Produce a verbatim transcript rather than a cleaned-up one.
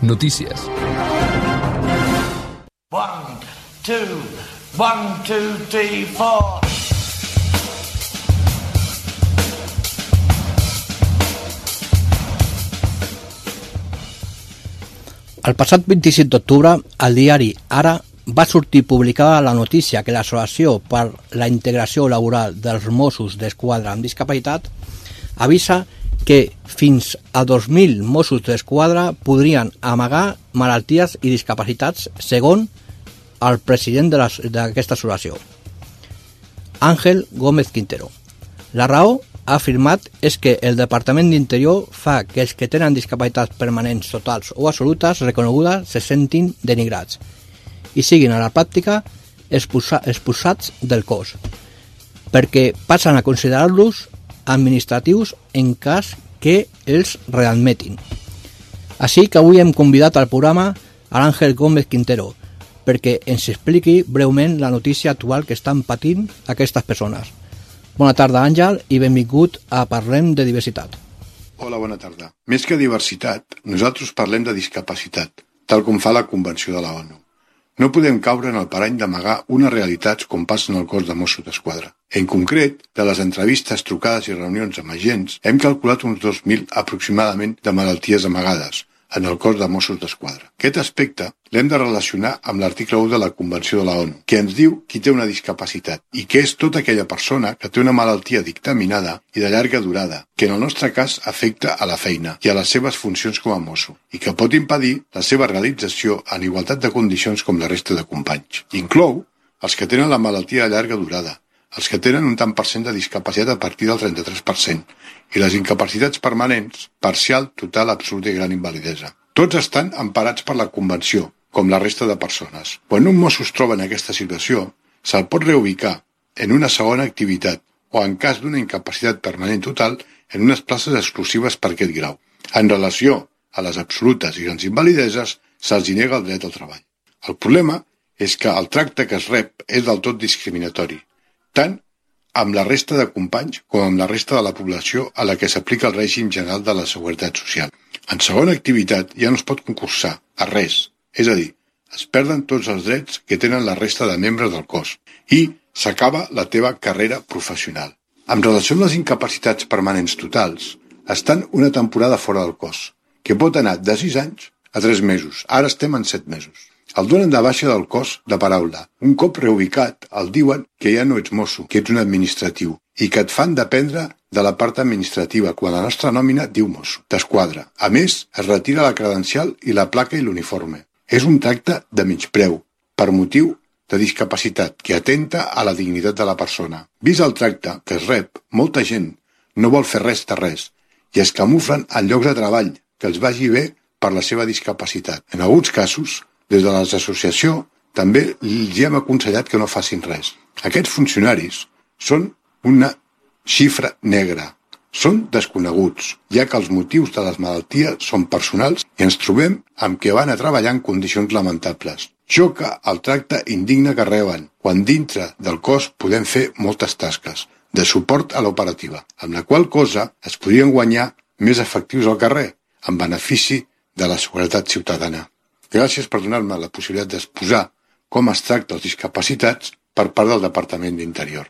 Notícies. One, two, one, two, three, four. El passat vint-i-set d'octubre, al diari Ara va sortir publicada la notícia que l'Associació per la Integració Laboral dels Mossos d'Esquadra amb Discapacitat avisa que fins a dos mil Mossos d'Esquadra podrien amagar malalties i discapacitats segons el president d'aquesta associació, Ángel Gómez Quintero. La raó, ha afirmat, és que el Departament d'Interior fa que els que tenen discapacitats permanents totals o absolutes reconegudes se sentin denigrats i siguin a la pràctica expulsats del cos, perquè passen a considerar-los administratius en cas que els readmetin. Així que avui hem convidat al programa a l'Àngel Gómez Quintero perquè ens expliqui breument la notícia actual que estan patint aquestes persones. Bona tarda, Àngel, i benvingut a Parlem de Diversitat. Hola, bona tarda. Més que diversitat, nosaltres parlem de discapacitat, tal com fa la Convenció de la ONU. No podem caure en el parany d'amagar unes realitats com passa en el cos de Mossos d'Esquadra. En concret, de les entrevistes, trucades i reunions amb agents, hem calculat uns dos mil aproximadament de malalties amagades en el cos de Mossos d'Esquadra. Aquest aspecte l'hem de relacionar amb l'article u de la Convenció de la ONU, que ens diu qui té una discapacitat i que és tota aquella persona que té una malaltia dictaminada i de llarga durada, que en el nostre cas afecta a la feina i a les seves funcions com a mosso i que pot impedir la seva realització en igualtat de condicions com la resta de companys. Inclou els que tenen la malaltia de llarga durada, els que tenen un tant per cent de discapacitat a partir del trenta-tres per cent i les incapacitats permanents, parcial, total, absoluta i gran invalidesa. Tots estan emparats per la Convenció, com la resta de persones. Quan un mosso es troba en aquesta situació, se'l pot reubicar en una segona activitat o, en cas d'una incapacitat permanent total, en unes places exclusives per aquest grau. En relació a les absolutes i grans invalideses, se'ls nega el dret al treball. El problema és que el tracte que es rep és del tot discriminatori, tant amb la resta de companys com amb la resta de la població a la que s'aplica el règim general de la Seguretat Social. En segona activitat ja no es pot concursar a res, és a dir, es perden tots els drets que tenen la resta de membres del cos i s'acaba la teva carrera professional. En relació amb les incapacitats permanents totals, estan una temporada fora del cos, que pot anar de sis anys a tres mesos. Ara estem en set mesos. El donen de baixa del cos de paraula. Un cop reubicat, el diuen que ja no ets mosso, que ets un administratiu, i que et fan dependre de la part administrativa, quan la nostra nòmina diu mosso d'esquadra. A més, es retira la credencial i la placa i l'uniforme. És un tracte de menyspreu, per motiu de discapacitat, que atenta a la dignitat de la persona. Vist el tracte que es rep, molta gent no vol fer res de res, i es camuflen en llocs de treball que els vagi bé per la seva discapacitat. En alguns casos, des de l'associació, també els hem aconsellat que no facin res. Aquests funcionaris són una xifra negra. Són desconeguts, ja que els motius de les malalties són personals i ens trobem amb que van a treballar en condicions lamentables. Xoca el tracte indigne que reben, quan dintre del cos podem fer moltes tasques de suport a l'operativa, amb la qual cosa es podrien guanyar més efectius al carrer, en benefici de la seguretat ciutadana. Gràcies per donar-me la possibilitat d'exposar com es tracta els discapacitats per part del Departament d'Interior.